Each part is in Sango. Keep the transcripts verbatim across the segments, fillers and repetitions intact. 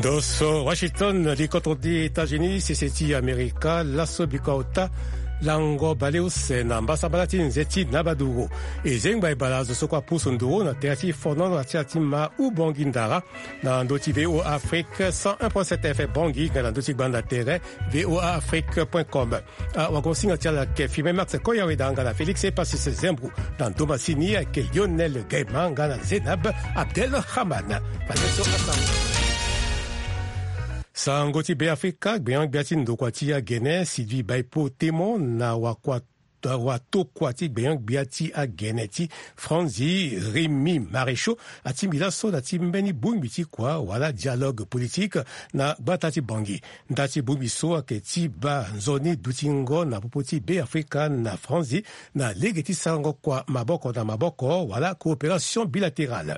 Doso Washington, li kotro ti États-Unis, sese ti Amerika, laso biko ota lango baleuse na mbasambala ti nze ti na baduru. E zengba e bala zo so kue apusu nduru na tere ti fono na tere ti ma Ubongi Ndara na ndö ti V O A Afrique cent un point sept F M Bangui, nga na ndö ti gbanda tere V O A Afrique point com. Ah, wagosinga ti ala ayeke Firmin Max Koyaweda nga na Félix Epasis Zembro, na ndo masini ayeke Lionel Gaima nga na Zénab Abdelrahman. Fade so asango. Sango ti Beafrika, gbenyo-gbia ti ndokua ti agene Sylvie Baipo Temo na wakua watokua ti gbenyo-gbia ti agene ti Franzi, Rémy Maréchaux, atingbi laso na ti mbeni bongbi ti kua wala dialogue politique na gbata ti Bangui. Nda ti bongbi so ayeke ti baa nzoni dutingo na popo ti Beafrika na Franzi na lege ti sarango kua maboko na maboko wala coopération bilatérale.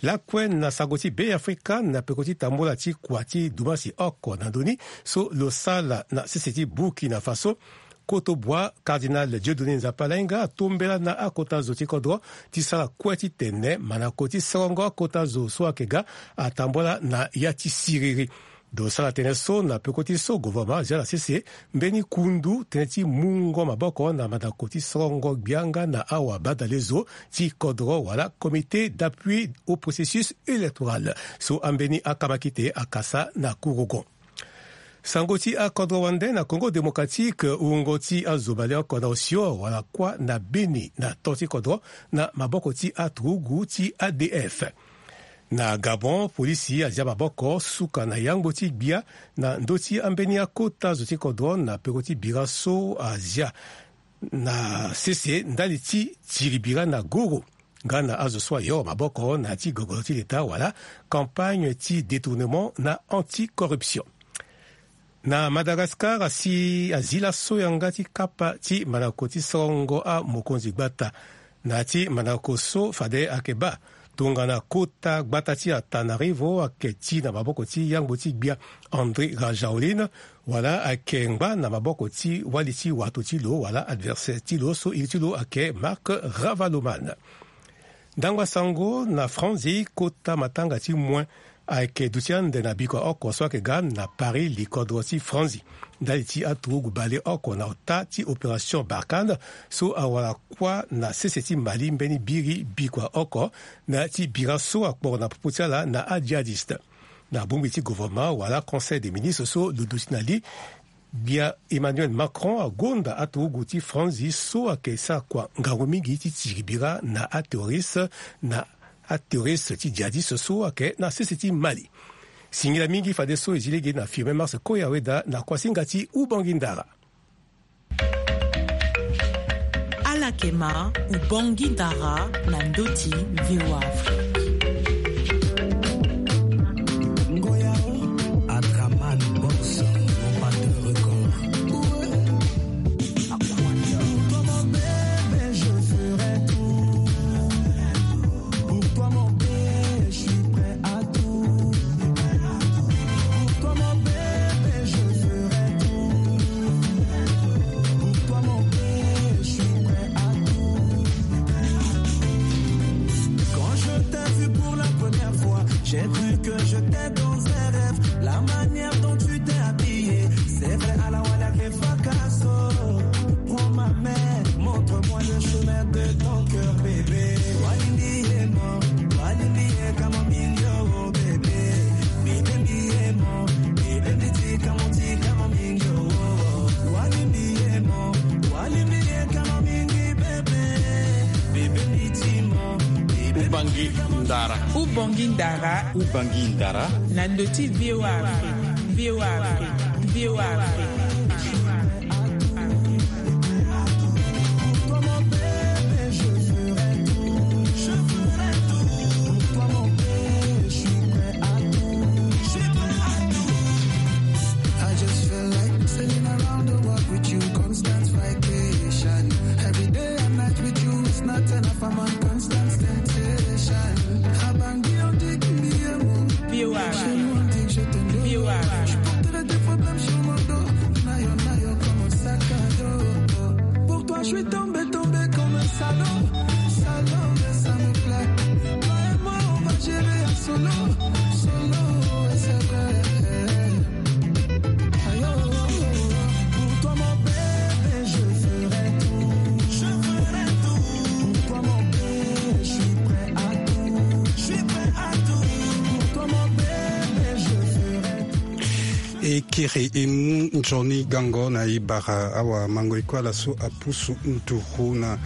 Lakue na sango ti Beafrika, na peko ti tambula ti kua ti dumasi oko na ndö ni so lo sala na sese ti Burkina Faso, koto bua Cardinal Dieudonné Nzapa Lainga atombela na akota zo ti kodro ti sara kue titene manako ti sarango akota zo so ayeke ga atambula na ya ti siriri. Lo sara tënë so na peko ti so gouvernement azia na sese mbeni kundu tënë ti mungo maboko na manako ti sarango gbia nga na awa badalezo ti kodro wala Comité d'appui au processus électoral so ambeni akamakite akasa na kurugon. Sango ti akodro wande na Congo Démocratique, wungo ti azo baleoko na osio wala kuâ na beni na to ti kodro na maboko ti aturugu ti A D F. Na Gabon, polisi azia maboko suka na yangbo ti gbia na ndö ti ambeni akota zo ti kodro na peko ti bira so azia na sese ndali ti tiri bira na goro nga na azo so ayoro maboko na ya ti gogoro ti leta wala campagne ti détournement na anticorruption. Na Madagascar, asi azi laso yanga ti kapa ti manako ti sorongo amokonzi gbata na ya ti manako so fade ayeke baa tongana kota gbata ti Antananarivo ayeke ti na maboko ti yangbo ti gbia Andry Rajoelina, wala ayeke ngba na maboko ti wali ti wato ti lo wala adversaire ti lo so iri ti lo ayeke Marc Ravaloman. Ndangba sango na Franzi, kota matanga ti moin ayeke duti ande na bikua oko so ayeke ga na Paris, likodro ti Franzi, ndali ti aturugu baleoko na ota ti opération Barkhane so awara kuâ na sese ti Mali mbeni biri bikua oko na ya ti bira so akporo na popo ti ala na adjihadiste. Na bongbi ti gouvernement wala Conseil des ministres so lo duti na li, gbia Emmanuel Macron agonda aturugu ti Franzi so ayeke sara kua ngangu mingi ti tiri bira na aterroriste, na aterroriste ti djihadiste so ayeke na sese ti Mali. Singila mingi fadeso e zi lege na Firmin Mars Koya Weda na kuasinga ti Ubangui Ndara. Ala yeke ma Ubangui Ndara na ndö ti V O A Afrique. Ngoya, Adraman Boss, le batteur record. Pour toi, mon bébé, je ferai tout. Pour toi, mon bébé, je suis prêt à tout. Pour toi, mon bébé, je ferai tout. Pour toi, mon bébé, je suis prêt à tout. Quand je t'ai vu pour la première fois, j'ai cru que j'étais dans un rêve. La manière dont tu t'es habillée, c'est vrai, à la wala que fracasso. Prends ma main, montre-moi le chemin de ton cœur, bébé. Walimbi ye mo, walimbi ye kama mingi o, bébé. Bébé mi ye mo, bébé mi ti kama ti kama mingi o. Walimbi ye mo, walimbi ye kama mingi, bébé. Bébé mi ti mo, bébé mi ti kama. Ubangui Ndara. Ubangui Ndara. Ubangui Ndara. Na ndö ti V O A Afrique. V O A Afrique. V O A Afrique. I just feel like sailing around the world with you, constant vacation. Every day and night with you is not enough, I'm on constant temptation. Abangui, on dit qu'il me aime. V O A. Chez nous, on dit que je t'aime. V O A. Je porterai tes problèmes sur mon dos. Nayo, nayo, comme un sac à dos. Pour toi, je suis tombé, tombé comme un salaud. Salaud, mais ça me plaît. Toi et moi, on va gérer en solo. Solo, et c'est vrai. Kiri e mu nzoni gango na e bara awamango e kue ala so apusu nduru na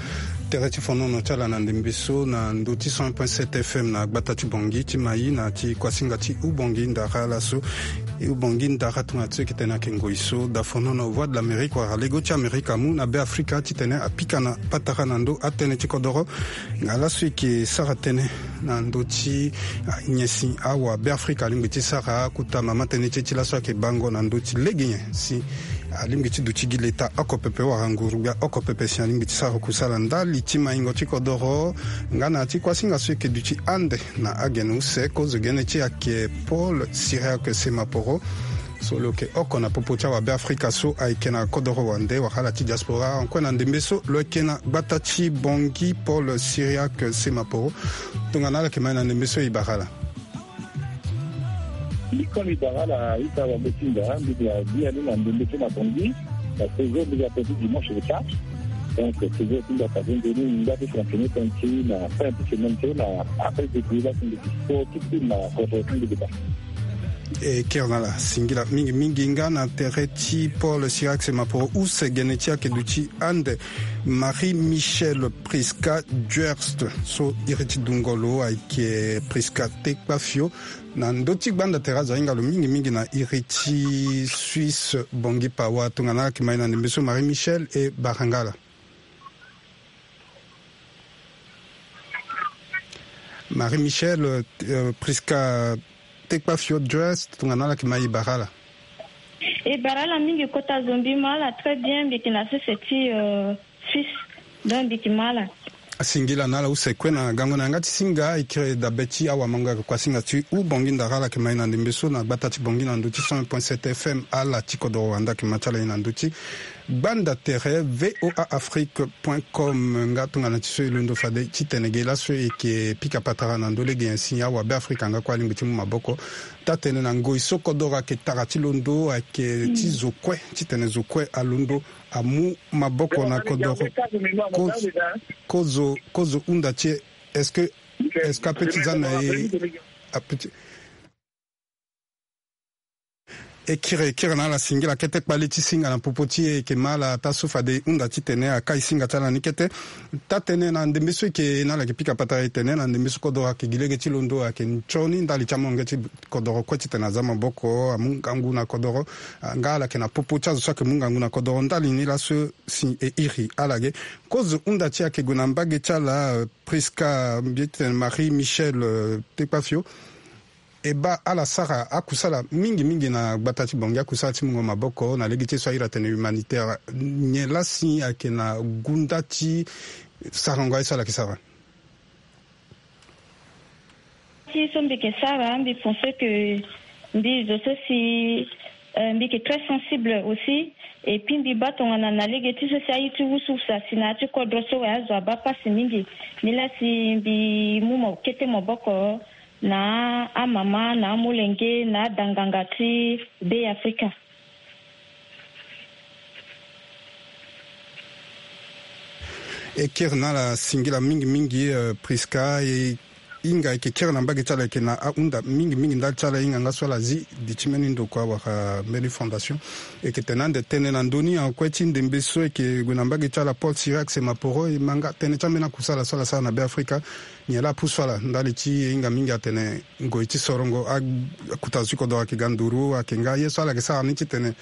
tere ti fonono ti ala na ndembe so na ndö ti cent un point sept F M na gbata ti Bangui ti Maï na ti kuasinga ti Ubangui Ndara ala so. E Ubangui Ndara tongana ti so e yeke tene ayeke ngoi so da fonono Voix de l'Amérique wala lego ti Amerika amu na Beafrika titene apika na patara na ndö atënë ti kodoro. Nga laso e yeke sara tënë na ndö ti, ah, nyen si awa Beafrika alingbi ti sara kota mama tënë ti e ti laso ayeke bango na ndö ti lege nyen si alingbi ti duti gi leta oko pepe wala nguru-gbia oko pepe si alingbi ti sara kusala ndali ti maingo ti kodoro. Nga na ya ti kuasinga so e yeke duti ande na agene use kozo gene ti e ayeke Paul Cyriaque Semaporo. So lo yeke oko na popo ti awabeafrika so ayeke na kodoro wande wala ala ti diaspora. Ankue na ndembe so lo yeke na gbata ti Bangui, Paul Cyriaque Semaporo. Tongana ala yeke ma e na ndembe so e bara ala. Mbi kue mbi bara ala ita wango ti nda mbi ga biani na ndembe so na Bangui. Na séjour mbi ga tënë ti dimanche le quatre. Donc séjour ti nda passe nzoni mbi nga ti fonctionner tënë ti na fin ti semaine so na après depuis la ti mbi ti sport ti ti na kodoro ti mbi ti ba. E kiri na ala singila mingi mingi nga na tere ti Paul Cyriaque Semaporo use gene ti ayeke duti ande Marie Michelle Prisca Duerst so iri ti dungo lo ayeke Prisca Tekpafio. Na ndö ti gbanda tere azo ahinga lo mingi mingi na iri ti Suisse Bangui Pawa. Tongana ala yeke ma e na ndembe so Marie Michelle e bara nga ala. Marie Michelle, euh, Prisca Tekpafio Duerst, tongana ala yeke ma e bara ala. E bara ala mingi kota zo mbi ma ala très bien mbi yeke na sese ti, euh, Suisse. Donc mbi yeke ma ala. Asingila na ala use kue na gango na yanga ti singa e kiri dabe ti awamango ayeke kuasinga ti Ubangui Ndara ala yeke ma e na ndembe so na gbata ti Bangui na ndö ti cent un point sept F M ala ti kodoro wande ayeke ma ti ala ye na ndö ti gbanda tere V O A Afrique point com. Nga tongana ti so e londo fade titene ge laso e yeke pika patara na ndö lege nyen si awabeafrika nga kue alingbi ti mu maboko taa-tënë na ngoi so kodoro ayeke tara ti londo ayeke ti zo kue titene zo kue alondo amu maboko na kodoro. Kozo kozo hunda ti e est-ce que est-ce que ape ti za na e ape ti E kiri e kiri na ala singila kete kpale ti singa na popo ti e e yeke ma ala taa so fade e hunda titene akai singa ti ala ni kete. Taa-tënë na ndembe so e yeke na ala yeke pika patara e tene na ndembe so kodoro ayeke gi lege ti londo ayeke nzoni ndali ti amolenge ti kodoro kue titene aza maboko amu ngangu na kodoro. Nga ala yeke na popo ti azo so ayeke mu ngangu na kodoro ndali ni laso si e iri ala ge. Kozo hunda ti e ayeke gue na mbage ti ala, euh, Prisca mbi ye titene Marie Michelle, euh, Tekpafio. E baa ala sara akusala mingi mingi na gbata ti Bangui akusala ti mungo maboko na lege ti e so ahiri atene humanitaire. Nyen laa si ayeke na gunda ti sarango aye so ala yeke sara? Ti so mbi yeke sara mbi pense que mbi zo so si, euh, mbi yeke très sensible aussi. Et puis mbi baa tongana na lege ti so si aye ti wusuwusa si na ya ti kodro so wala azo abaa pasi mingi. Nilaa si mbi mu mo kete maboko na amama na amolenge na adanganga ti Beafrika. E kiri na ala singila mingi mingi, euh, Prisca, e hinga e yeke kiri na mbage ti ala e yeke na ahunda mingi mingi ndali ti ala e hinga nga so ala zi di ti mbeni ndokua wala mbeni fondation. E yeke tene ande tënë na ndö ni ankue ti ndembe so e yeke gue na mbage ti ala Paul Cyriaque Semaporo e ma nga tënë ti ambeni akusala so ala sara na Beafrika. Nyen laa apusu ala ndali ti e hinga mingi atene ngoi ti sorongo a, akota zo ti kodoro ayeke ga nduru ayeke nga ye so ala yeke sara ni titene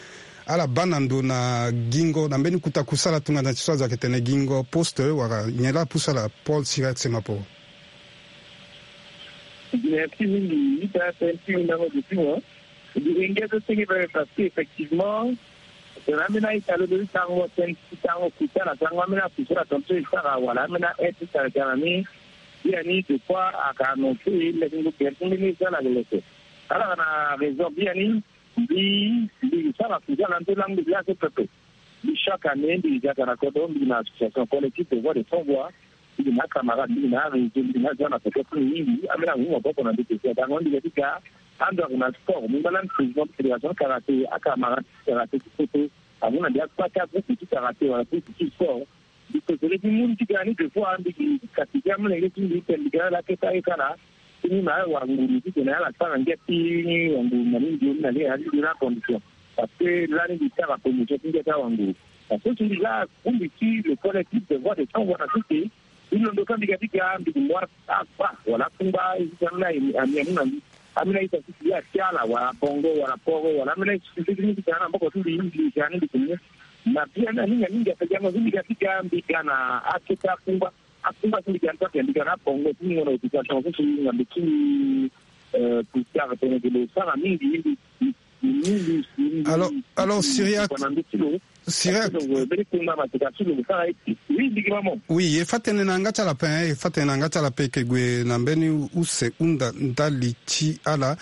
ala baa na ndo na gingo na mbeni kota kusala tongana ti so azo ayeke tene gingo poste wala nyen laa apusu ala Paul Cyriaque Semaporo? Merci mingi ita tënë ti hundango zo ti mo. Mbi ringe so senge pepe parce que effectivement tene ambeni a-ita lo lo ti tango tënë ti tango kuta na tango ambeni akusala tongaso e sara wala ambeni a-aide ti sara ga na ni. Biani de fois ayeke annonce leke ngu gere ti mbeni e so ala yeke leke. Ala yeke na raison biani. Mbi mbi sara kusala na ndö langue ti azo pepe. Mbi chaque année mbi yeke ga na kodro mbi yeke na association collective de voix de sans voix. Mbi yeke na acamarade mbi yeke na aréseau mbi yeke na azo na peko ti mbi mingi ambeni amu maboko na ndö peko adango mbi yeke ti ga. Ando ayeke na sport mbi ngba lani président ti fédération ti karaté acamarade ti karaté ti poto. Amu na mbi akpa ti agroupe ti karaté wala groupe ti sport. Mbi préféré ti mu ni ti ga ni de fois mbi yeke kati ti amolenge ti mbi tene mbi ga ala aketa aye kala. Ti mu na ala wanguru titene ala sara ngia ti wanguru na ni ndio ni na ni na ni ndio ni acondition. Parce que lani mbi sara promotion ti ngia ti awanguru. Parce que si mbi la bongbi ti le collectif de voix de cent voix na sese, mbi londo ka mbi ga ti ga mbi gue mo akpa wala akungba, e si ambeni ami amu na mbi, ambeni aita ti si ye ake ala wala bongo wala poro wala ambeni aye ti si ti ni ti tene na mboko ti mbi, mbi ga ni mbi gue mo. Na bia ni aninga mingi ape gango so mbi ga ti ga mbi ga na akete akungba. Akungba so mbi ga ni so ape mbi ga na abongo ti mungo na occupation so si ngambe ti ni. Plus tard tene ge lo sara mingi. Alors, alors, Syriac, Syriac, oui, e fa tene na yanga ti ala ape, e fa tene na yanga ti ala ape, e yeke gue na mbeni use hunda ndali ti ala.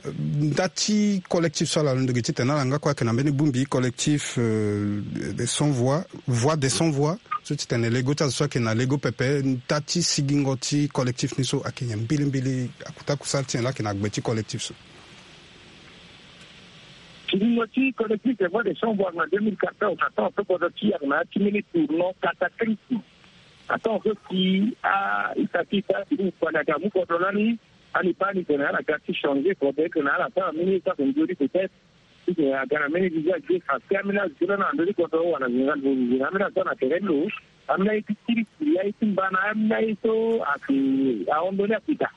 Nda ti collectif so ala londo ge titene ala nga kue ayeke na mbeni bongbi collectif, euh, des cent voix, voix des cent voix. So titene lego ti azo so ayeke na lego pepe, nda ti sigingo ti collectif ni so ayeke nyen mbilimbili, akuta kusala ti nyen laa ayeke na gbe ti collectif so? Sigingo ti collectif des voix des cent voix na deux mille quatorze, atonga so kodro ti e ayeke na ya ti mbeni tournant cataclysme. Atonga so si a-ita ti ita ti kpale ayeke amu kodro lani. Ani baa ni tene ala ga ti changer kodro, e tene ala sara mbeni ye so ayeke nzoni peut-être. Ti tene aga na mbeni visage ge parce que ambeni azo ti lo na ndö ti kodro wala général Bozi, ambeni azo so na tere ti lo, ambeni aye ti kiri kiri, aye ti mbana, ambeni aye so ayeke ahon ndoni akita.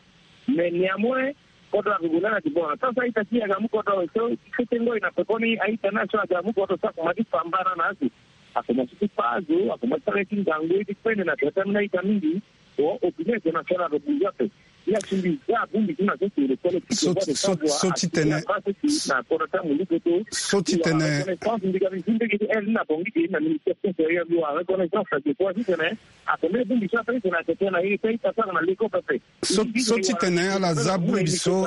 Mais néanmoins kodro ayeke gue lani ayeke bon na temps so a-ita ti e ayeke amu kodro so fete ngoi na pekoni a-ita ni aye so ayeke amu kodro so akomanse ti fa mbana na azo. Akomanse ti kpa azo, akomanse ti sara ye ti ngangu, ye ti kpene na tere ti ambeni a-ita mingi. Bon, opinion internationale alobi ape. Ye asi mbi za abongbi ti na so si le collectif so, so, so ti tene na kota ti amulu poto. So ti tene reconnaissance mbi ga mbi zi mbege ti aile ni na Bangui ge na ministère ti intérieur mbi wara reconnaissance na dépôt ti tene. Ape mbeni bongbi so ape ti tene atete na ye ti a-ita so ayeke na lego pepe. So, so ti tene ala za bongbi so.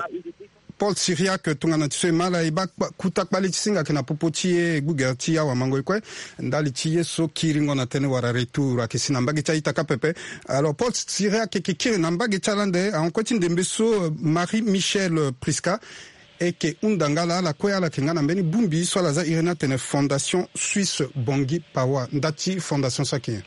Paul Syriac, tongana ti so e ma ala e baa kpa-, kuta kpale ti singa ayeke na popo ti e, gbugere ti awamango e kue. Ndali ti ye so kiringo na tënë wala retour ayeke si na mbage ti a-ita kâ pepe. Alors Paul Syriac ayeke kiri na mbage ti ala ande ahon kue ti ndembe so, euh, Marie Michel, euh, Prisca e yeke hunda nga laa ala kue ala yeke nga na mbeni bongbi so ala za iri ni atene Fondation Suisse Bangui Pawa. Nda ti fondation so ayeke nyen?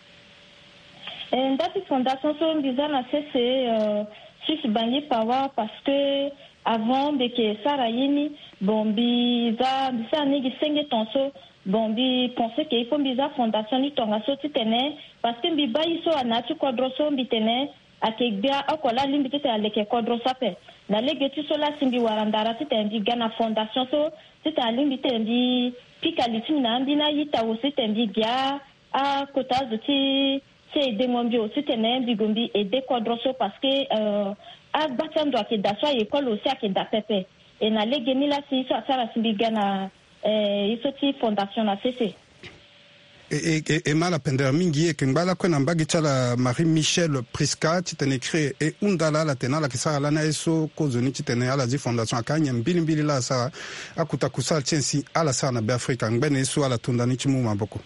Eh, nda ti fondation so mbi za na sese, euh, Suisse Bangui Pawa parce que avant mbi yeke sara ye ni, bon, mbi za, mbi sara ni gi senge tongaso. Bon, mbi pense que il faut mbi za fondation ni tongaso titene, parce que mbi baa ye so na ya ti kodro so mbi tene ayeke gbia oko laa alingbi titene aleke kodro so ape. Na lege ti so laa si mbi wara ndara titene mbi ga na fondation so titene alingbi titene mbi pika li ti mbi na ambeni a-ita aussi titene mbi gi a akota azo ti, ti aider mo mbi aussi titene mbi gue mbi aider kodro so parce que, euh, agba ti ando ayeke daa so a-école aussi ayeke daa pepe. E na legeni laa si ye so asara si mbi ga na, eh, ye so ti fondation na sese. E, e, e, e ma ala pendere mingi, e yeke ngba lakue na mbage ti ala Marie Michel Prisca titene e kiri e hunda ala, ala tene ala yeke sara lani aye so kozoni titene ala zi fondation ayeke anyen mbilimbili laa asara. Akuta kusala ti nyen si ala sara na Beafrika? Ngbene ye so ala to nda ni ti mu maboko.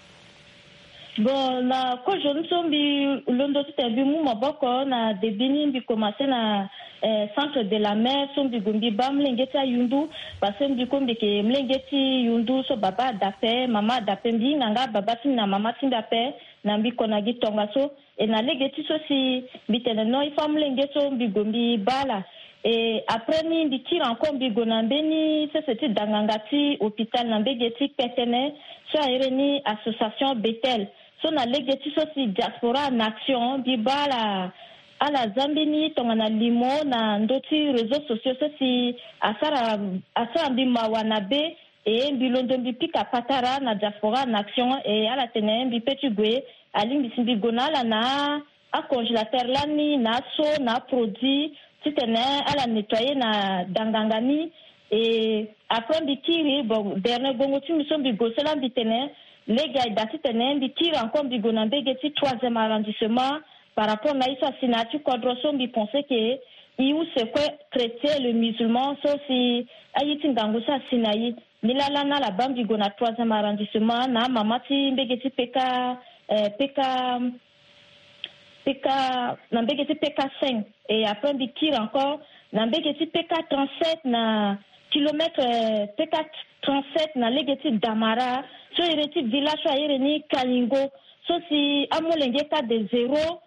Bon, na kozo ni so mbi londo titene mbi mu maboko na début ni mbi commencer na, eh, centre de la mer so mbi gue mbi baa molenge ti ayundu, parce que mbi kue mbi yeke molenge ti yundu so baba ada ape, mama ada ape, mbi hinga nga baba ti mbi na mama ti mbi ape na mbi ko na gi tongaso. E na lege ti so si mbi tene non, il faut amolenge so mbi gue mbi baa ala. E après ni mbi kiri encore mbi gue na mbeni sese ti danganga ti hôpital na mbage ti Kpetene so a iri ni association Bethel. So na lege ti so si Diaspora en Action mbi baa ala, ala za mbeni tongana limo na ndö ti réseaux sociaux so si asara, asara mbi mawa na be. E mbi londo mbi pika patara na Diaspora en Action, e ala tene mbi pe ti gue, alingbi si mbi gue na ala na acongélateur lani na aso na aproduit titene ala nettoyer na danganga ni. E après mbi kiri, bon, dernier gongo ti mbi so mbi gue so laa mbi tene lege aye daa titene mbi kiri encore mbi gue na mbage ti troisième arrondissement par rapport na ye so asi na ya ti kodro so mbi pense que e use kue chrétien le musulman so si aye ti ngangu so asi na e. Ni laa lani ala baa mbi gue na troisième arrondissement na amama ti mbage ti P K, eh, P K, P K, na mbage ti P K cinq. Et après mbi kiri encore na mbage ti P K trente-sept na kilomètre, eh, P K trente-sept na lege ti Damara so iri ti village so a iri ni Kalingo. So si amolenge kâ de zéro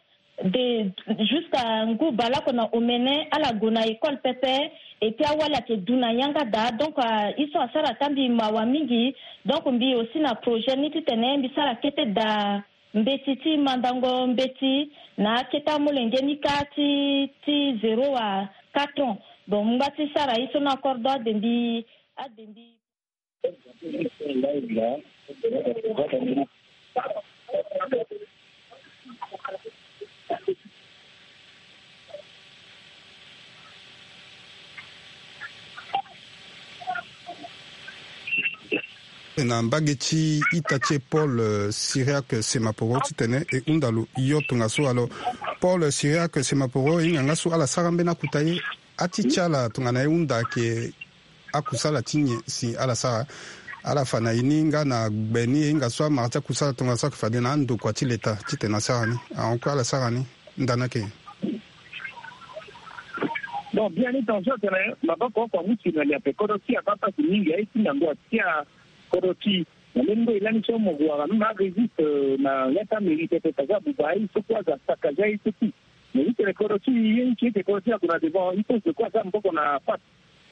de jusqu'à ngu baleoko na omene ala gue na école pepe. Et puis awali ayeke du na yanga daa, donc ah, ye so asara ata mbi mawa mingi. Donc mbi aussi na projet ni titene mbi sara kete daa mbeti ti mandango mbeti na akete amolenge ni kâ ti ti zéro à quatre ans. Donc mbi ngba ti sara ye so ni encore, donc ade mbi ade mbi Na mbage ti ita ti e Paul, eh, Cyriaque Semaporo titene e hunda lo yo tongaso. Alors, Paul Cyriaque Semaporo, e hinga nga so ala sara mbeni akuta ye, ati ti ala tongana e hunda ayeke akusala ti nyen si ala sara? Ala fa na e ni nga na gbe ni e hinga so amara ti akusala tongaso ayeke fade na andokua ti leta titene asara ni? Ahon kue ala sara ni ndani ayeke nyen? Donc biani tongaso atene maboko oko amu si na li ape kodro ti e abaa pasi mingi aye ti ngangu atia kodro ti e. Na mbeni ngo e lani so mo gue wara même aregistre na ya ti amairie pepe fade abuba aye so kue aza sakaza aye so ti. Mais i tene kodro ti i ye ni ti i tene kodro ti i ague na devant i pense de quoi aza maboko na face.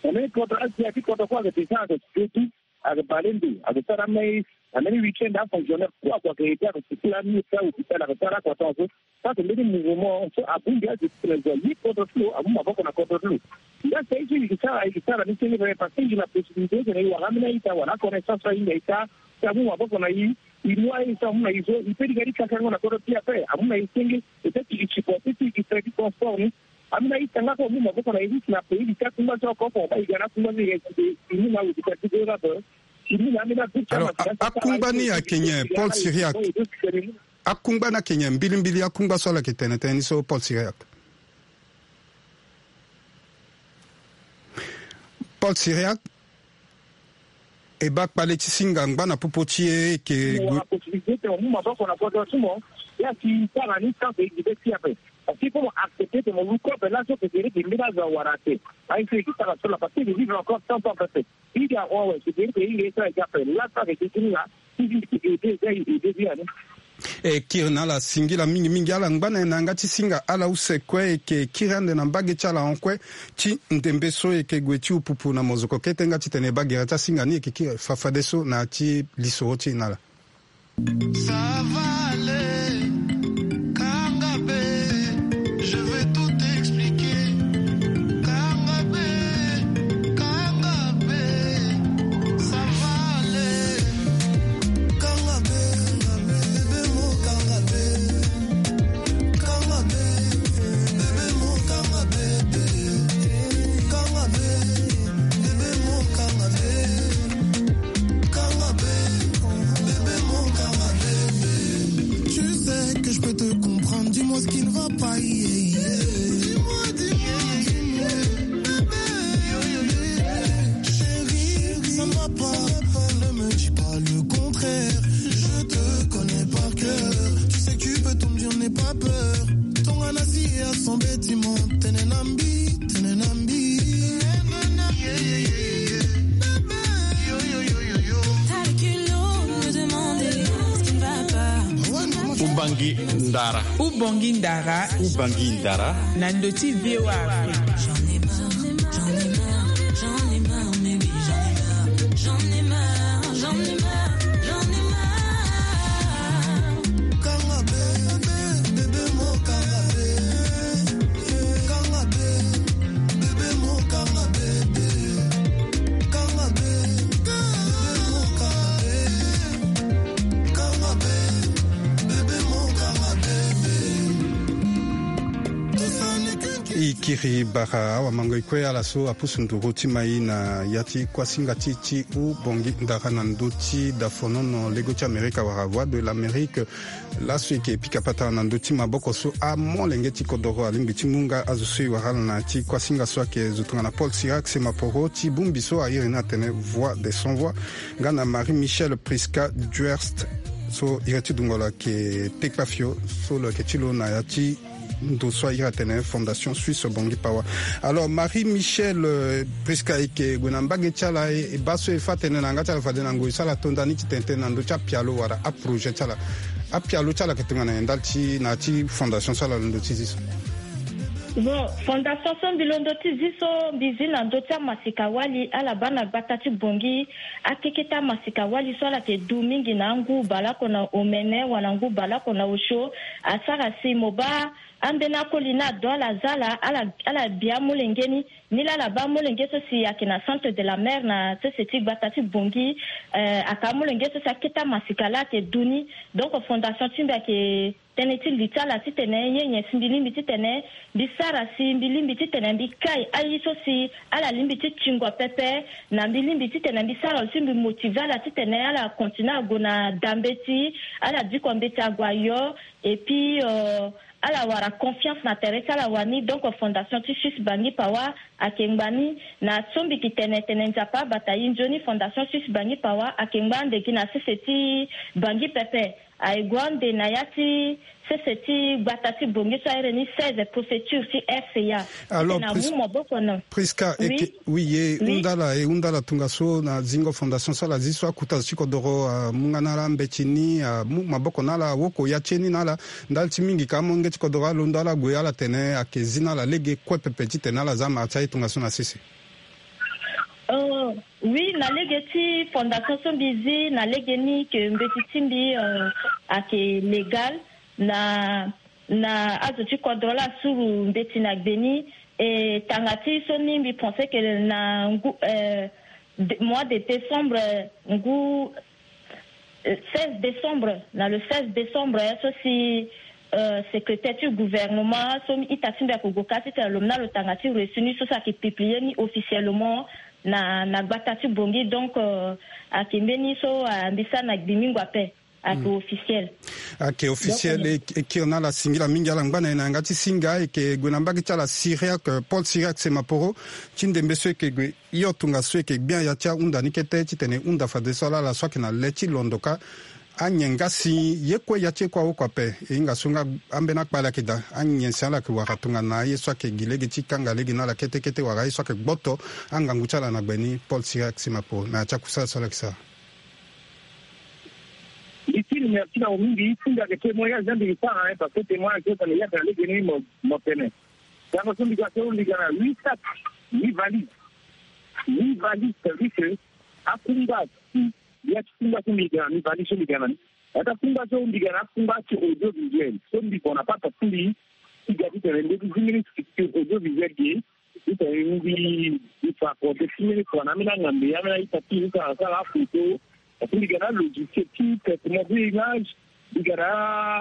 Na mbeni kodro azi ya ti kodro kue ayeke descend ayeke si de ti ayeke bale ndo ayeke sara mais na mbeni week-end afonctionnaire kue ague ayeke aidé ayeke sukula amir ti ahôpital ayeke sara akua tongaso. Parce que mbeni mouvement so abongbi azo ti tene zo aye kodro ti lo amu maboko na kodro ti lo. Nda si aye so i yeke sara i yeke sara ni senge pepe parce que i yeke na possibilité titene i wara ambeni a-ita wala aconnaissance so ahinga i sara. Si amu maboko na i i mu aye so amu na i so i pe ti ga ti kakango na kodro ti i ape amu na i senge. Peut-être i supporté ti i gi frais ti transport ni. Ambeni a-ita nga so amu maboko na i ti si na pays ti akungba so oko oko baa i ga na akungba so i ga i mu na awe ti kati ti goyo na ape. I mu na ambeni a-ita. Alors akungba ni ayeke nyen Paul Cyriaque? Akungba ni ayeke nyen mbilimbili akungba so ala yeke tene tënë ni so Paul Cyriaque? Paul Cyriaque. E baa kpale ti singa ngba na popo ti e eke gue. Possibilité ti mo mu maboko na kodro ti mo. Ya si tara ni tant que e gi be ti ape. Parce que il faut mo accepter que mo lu kobe laso que c'est vrai que mbeni azo awara ape. Aye so e gi tara so la parce que e vivre encore cent ans pepe. I ga awe c'est vrai que e hinga ye so ayeke ape laso ayeke gi ti ni la. Ti vivre ti aide eza e aide ti ani. E kiri na ala singila mingi mingi ala ngba na e na yanga ti singa ala use kue e yeke kiri ande na mbage ti ala hon kue ti ndembe so e yeke gue ti upupu na mozoko kete nga titene e baa gere ti asinga ni e yeke kiri fafadeso na ya ti lisoro ti e na ala. Ça va aller, kanga be, je vais tout expliquer. Kanga be, kanga be, ça va aller. Tu sais que je peux te comprendre, dis-moi ce qui ne va pas. Yeah, yeah. Dis-moi, dis-moi, dis-moi. Chérie, ça ne va pas. Ne me dis pas le contraire. Je te connais par cœur. Tu sais que tu peux tout me dire, n'aie pas peur. Tongana si ya son bâtiment, tene na mbi, tene na mbi. T'as le culot de me demander ce qui ne va pas. Ubangui Ndara. Ubangui Ndara. Ubangui Ndara. Na ndö ti V O A Afrique. J'en ai marre, j'en ai marre, j'en ai marre, baby, j'en ai marre. J'en ai marre, j'en ai marre, j'en ai marre. Kanga be, be, bébé mo kanga be. Kanga be, bébé mo kanga be. Kanga be, bébé mo kanga be. Kanga be, bébé mo kanga be. Tout ça n'est qu'une I kiri bara awamango e kue ala so apusu nduru ti mai na ya ti kuasinga ti ti Ubangui Ndara na ndö ti dafonono lego ti Amerika wala Voix de l'Amérique. Laso e yeke pika patara na ndö ti maboko so amolenge ti kodoro alingbi ti mu nga azo so e wara ala na ya ti kuasinga so ayeke zo tongana Paul Cyriaque Semaporo ti bongbi so a iri ni atene Voix des Sans Voix nga na Marie Michelle Prisca Duerst so iri ti dungo lo ayeke Tekpafio so lo yeke ti lo na ya ti ndo so a iri atene Fondation Suisse Bangui Power. Alors Marie Michelle, euh, Prisca, e yeke gue na mbage ti ala, e baa so e fâ tënë na yanga ti ala fade na ngoi so ala to nda ni ti tene tënë na ndö ti apialo wala aprojet ti ala. Apialo ti ala ayeke tongana nyen ndali ti na ya ti fondation so ala londo ti zi so? Bon, fondation so mbi londo ti zi so mbi zi na ndö ti amasika wali ala baa na gbata ti Bongi. Akeketa amasika wali so ala yeke du mingi na angu baleoko na omene wala ngu baleoko na osio. Asara si mo baa ambeni akoli ni ado ala za ala ala bi amolenge ni. Ni laa ala baa amolenge so si ayeke na centre de la mer na sese ti gbata ti Bongi. Ayeke amolenge so si akete amasika laa ayeke du ni. Donc fondation ti mbi ayeke tënë ti li ti ala titene nyen nyen si mbi lingbi titene mbi sara si mbi lingbi titene mbi kai aye so si ala lingbi ti tingo pepe. Na mbi lingbi titene mbi sara lo si mbi motive ala titene ala continue ague na da mbeti, ala diko mbeti ague ayo. Et puis ala wara confiance na tere ti ala wani. Donc fondation ti suisse bangi pawa ayeke ngba ni. Na so mbi yeke tene tene nzapa abata ye nzoni fondation suisse bangi pawa ayeke ngba ande gi na sese ti bangi pepe. Aye gue ande na ya ti sese ti gbata ti Bongi so ahere ni seize préfecture ti rca. Alors na mu maboko na Prisca eke wi ye hunda ala e hunda ala tongaso na zingo fondation so ala zi so akuta zo ti kodoro amu nga na ala mbeti ni amu maboko na ala awoko ya ti ye ni na ala. Ndali ti mingi ka amolenge ti kodoro alondo ala gue ala tene ayeke zi na ala lege kue pepe titene ala za mara ti aye tongaso na sese. Oui, na lege ti fondation so mbi zi na lege ni ke mbeti ti mbi ayeke légal na na azo ti kodro la asuru mbeti na gbe ni. E tanga ti so ni mbi pense ke na ngu mois de décembre ngu seize décembre na le seize décembre so si secrétaire ti gouvernement so ita ti mbi ayeke gue ka titene lo mu na lo tanga ti reçu ni so si ayeke publie ni officiellement na na gbata ti Bongi. Donc ayeke mbeni so mbi sara na gbi mingo ape. Ayeke officiel. Ayeke officiel. E kiri na ala singila mingi ala ngba na e na yanga ti singa e yeke gue na mbage ti ala Cyriaque Paul Cyriaque Semaporo ti ndembe so e yeke gue hio tongaso e yeke gbia ya ti ahunda ni kete titene e hunda fadeso ala ala so ayeke na le ti londo ka. Anyen nga si ye kue ya ti e kue awoko ape e hinga so nga ambeni akpale ayeke daa anyen si ala yeke wara tongana aye so ayeke gi lege ti kanga lege na ala kete kete wala aye so ayeke gboto angangu ti ala na gbe ni Paul Cyriaque Semaporo na ya ti akusala so ala yeke sara. Mbi ti mbi merci na mo mingi ti mbi ayeke témoignage na mbi mbi sara hein parce que témoignage so tene yaka na lege ni mo mo tene. Tango so mbi ga so mbi ga na huit sacs huit valises huit valises c'est à dire que akungba si ya ti kungba so mbi ga na ni valise so mbi ga na ni. Ata kungba so mbi ga na akungba ti audiovisuel so mbi gue na papa ti mbi ti ga titene mbi ti zi mbeni structure audiovisuel ge. Titene mbi mbi fa kode ti mbeni kua na ambeni angambe ambeni a-ita ti mbi ti sara sara afoto. Parce que mbi ga na alogiciel ti traitement de image. Mbi ga na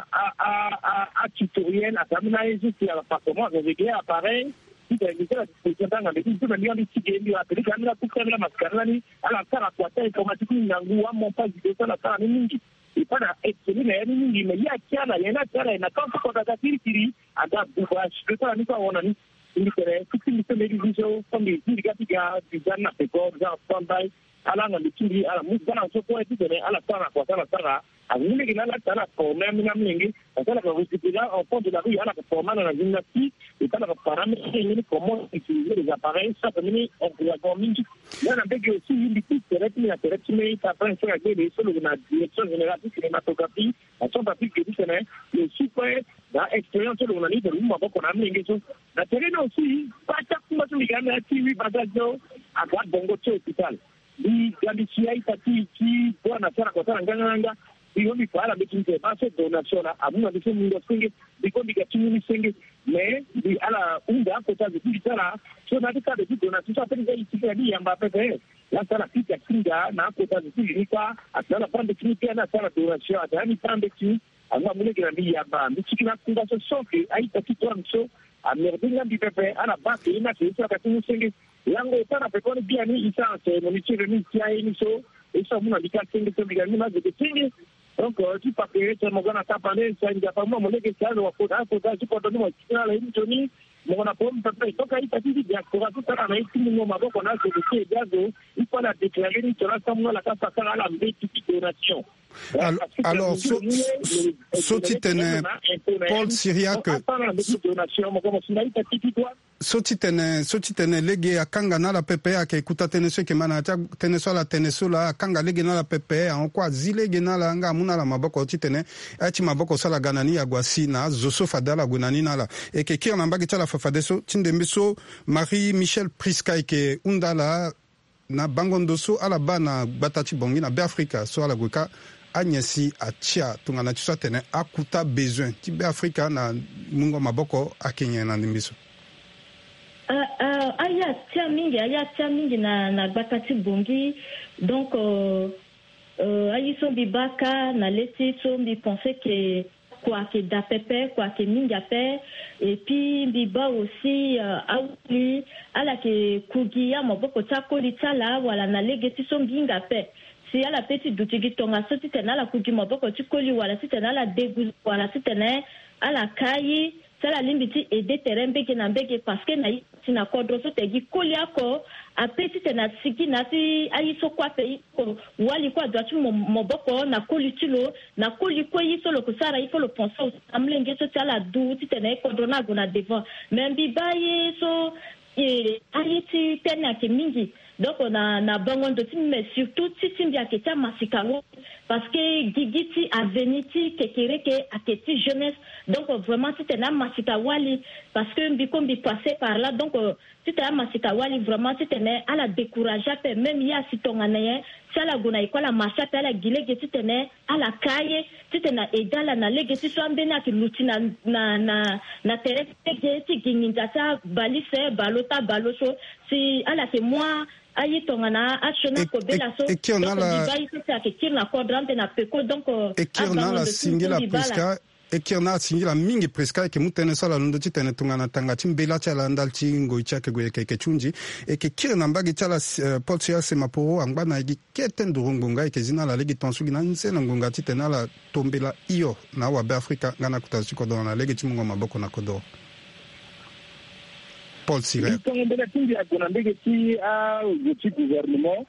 a a a a atutoriel ata ambeni aye so si ala performance avec ye appareil. Titene mbi sara disposition ti angambe ti mbi so na mbi ga mbi ti ge mbi rapele titene ambeni akuta ambeni amasika ni lani ala sara kua ti informatique ni ngangu amontage vidéo so ala sara ni mingi. Epa na esprit na ya ni mingi mais ye atia na ye ni atia na ye na temps so kota ka kirikiri. Aga buba si kota na ni so ahon na ni. Mbi tene ti ti mbi so mbi zi so so mbi zi mbi ga ti ga visa ni na peko visa en stand by. Ala na mbi ti mbi ala mu bana so kue titene ala sara na kua so ala sara. Angu lege na ala ti ala forme ambeni amolenge. Parce que ala ka récupérer en fond de la rue ala ka forme ala na gymnastique. Epa ala ka para ambeni amolenge ni comment utiliser les appareils so ayeke mbeni encouragement mingi. Nga na mbege aussi mbi ti tere ti mbi na tere ti mbi ta prince so na gbele so lo na direction générale ti cinématographie na centre afrique ti tene lo si kue na expérience so lo na ni tene lo mu maboko na amolenge so. Na tere ni aussi kue ti akungba so mbi ga na ya ti huit bagage so aga bongo ti hôpital. Mbi ga mbi si a-ita ti ti boi na sara kua sara nganganga. Mbi mo mbi fa ala mbeti mbi tene baa so donation na amu na mbi so mungo senge. Mbi kue mbi ga ti mu ni senge. Mais mbi ala hunda akota zo ti mbi ti ala so na ya ti cadre ti donation so ape ni nga e si kue na mbi yamba pepe. Laa so ala pika singa na akota zo ti mbi ni kua. Atene ala baa mbeti ni kue ni asara donation atene ani baa mbeti ni. Angu amu lege na mbi yamba mbi tiki na akungba so so ke a-ita ti toi na mbi so. Amerde nga mbi pepe ala baa ke ye ni ake ye so ayaka ti mu senge. Lango e sara pepe wani biani e sara cérémonie ti remise ti aye ni so. Ye so amu na mbi ka senge so mbi ga ni ma zo ke senge. Donc ti pake tene mo ga na tapande so aye nzapa mu na mo lege si azo wa kota akota ti kodro ni mo tiki na ala ye ni nzoni. Mo na pom pepe donc a-ita ti ti diaspora so sara na ye ti mungo maboko na azo ke ti ede azo. Il faut ala déclarer ni tongana asamu na ala ka fa sara ala mbeti ti donation. Alors so so titene Paul Syriac So ti tene so ti tene lege akanga na ala pepe, ayeke kuta tënë so e yeke ma na ya ti atënë so ala tene so laa, akanga lege na ala pepe, ahon kue azi lege na ala nga amu na ala maboko titene aye ti maboko so ala ga na ni ague asi na azo so fade ala gue na ni na ala. E yeke kiri na mbage ti ala fafadeso ti ndembe so Marie Michel Prisca e yeke hunda ala na bango ndo so ala baa na gbata ti Bangui na Beafrika so ala gue kâ anyen si atia tongana ti so atene akuta bezoin ti Beafrika na mungo maboko ayeke nyen na ndembe so? Ah, ah, aye atia mingi, aye atia mingi na, na gbata ti Bangui. Donc, euh, euh, aye so mbi baa kâ na le ti so mbi pense ke kua ayeke daa pepe, kua ayeke mingi ape. Et puis mbi baa aussi, euh, awali ala yeke ku gi amaboko ti akoli ti ala wala na lege ti so mbi hinga ape. Si ala pe ti duti gi tongaso titene ala ku gi maboko ti koli wala titene ala deguze wala titene ala kaa ye, ti ala lingbi ti aider tere mbege na mbege, parce que na ye ti na kodro so tene gi koli oko ape titene asigi na ya ti aye so kue ape. Ye so wali kue adua ti mo, maboko na koli ti lo, na koli kue ye so lo yeke sara, il faut lo pense aussi na molenge so ti ala du titene kodro ni ague na devant. Mais mbi baa ye so, eh, aye ti tënë ayeke mingi. Donc na, na bango ndo ti mbi, mais surtout ti ti mbi ayeke ti amasika wali, parce que gigi ti avenir ti kekereke ayeke ti jeunesse. Donc vraiment titene amasika wali, parce que mbi kue mbi passe par là. Donc, euh, titene amasika wali vraiment titene ala décourager ape, même ye asi tongana nyen, si ala gue na école amarche ape, ala gi lege titene ala kaa ye, titene aaider ala na lege ti so ambeni ayeke luti na, na, na, na tere ti lege ti gi nginza ti abalise, balo ti abalo so. Si ala yeke mu aye tongana asioni akobela so. E kiri na ala, donc mbi baa ye so si ayeke kiri na kodro ande na peko. Donc, euh, e kiri na ala singila Prisca. E kiri na ala singila mingi Prisca, e yeke mu tënë so ala londo titene tongana tanga ti mbela ti ala ndali ti ngoi ti ayeke gue, e yeke, e yeke ti hunzi. E yeke kiri na mbage ti ala, euh, Paul Silas Semaporo angba na e gi kete nduru ngonga, e yeke zi na ala lege tongaso gi na anzene ngonga titene ala tombela hio na awabe Afrika nga na akota zo ti kodoro na lege ti mungo maboko na kodoro. Paul Sire. Mbi tongo mbela ti mbi ague na mbage ti azo ti gouvernement,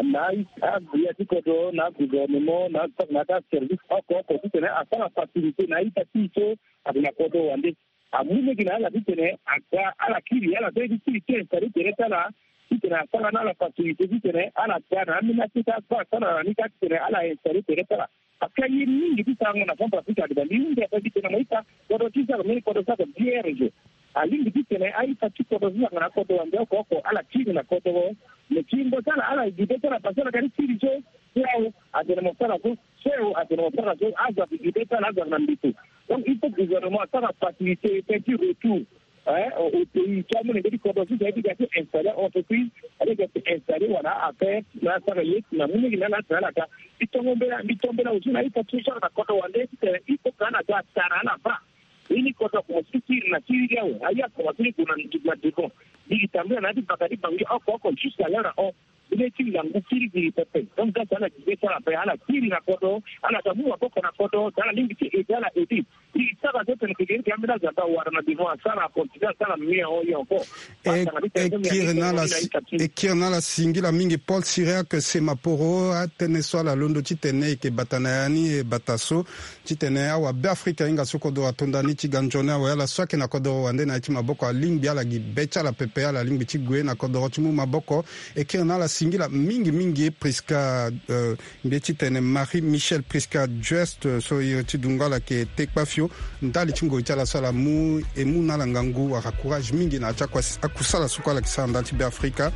na agbia ti kodro, na gouvernement, na, na aservice oko oko titene asara facilité na a-ita ti e so ague na kodro wande. Amu lege na ala titene aga ala kiri, ala sara ye ti kiri ti installer tere ti ala, titene asara na ala facilité titene ala ga na ambeni aye ti asara na ni kâ titene ala installer tere ti ala. Parce que aye mingi ti sarango na Centrafrique ayeke daa. Mbi hunda ape titene mo ita kodro ti so ayeke mbeni kodro so ayeke vierge. Alingbi titene a-ita ti kodro so ayeke na kodro wande oko oko ala kiri na kodro. Me ti yingo ti ala, ala gi be ti ala parce que ala ga ti kiri so. Awe atene mo sara so, so awe atene mo sara so, azo ayeke gi be ti ala, azo ayeke na mbeto. Donc il faut gouvernement asara facilité ti retour, hein, au, au pays. Ti amolenge ti kodro so si aye ti ga ti installer entreprise, aye ti ga ti installer wala affaire, na asara ye na mu lege na ala, atene ala ga. Mbi tongo mbela, mbi tongo mbela aussi na a-ita ti so ala na kodro wande titene il faut que ala ga atara ala baa. Ye ni kodro akomanse ti kiri na kiri ti awe, aye akomanse ti gue na devant. Mbi gi tambula na ya ti baka ti Bangui oko oko jusqu'à l'heure ahon. Mbi lê ti ngangu kiri gi pepe. Donc donc ala gi be ti ala ape, ala kiri na kodro, ala ga mu maboko na kodro, si ala lingbi ti aider ala aider. Mbi sara so tene kekereke ambeni azamba wara na devant, asara, acontinue asara mieux ahon ye encore. E kiri na ala, e kiri na ala singila mingi Paul Cyriaque Semaporo. Atënë so ala londo titene e yeke bata na ya ni e bata so, titene awabe Afrika ahinga so kodoro ato nda ni ti ga nzoni awe. Ala so ayeke na kodoro wande na ya ti maboko alingbi ala gi be ti ala pepe, ala lingbi ti gue na kodoro ti mu maboko. E kiri na ala singila mingi mingi Prisca, euh, mbi ye ti tene Marie Michel Prisca Just, euh, so iri ti dungo ala yeke Tekpafio. Ndali ti ngoi ti ala so ala mu, e mu na ala ngangu wala courage mingi na ya ti akusa, akusala so kue ala yeke sara ndali ti Beafrika.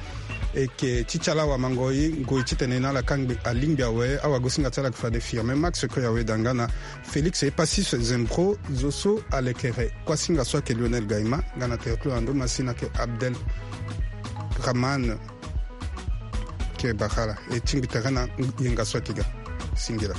E yeke ti ti ala awamangoi, ngoi titene na ala kangbi alingbi awe. Awagosinga ti ala yeke fade Firmin Max Koyawe da nga na Félix Epasis Zembro, zo so alekere. Kuasinga so ayeke Lionel Gaima, nga na tere ti lo na ndo masina ayeke Abdel Rahman. Ke bakala e tingbi tere na yenga so ayeke ga. Singila.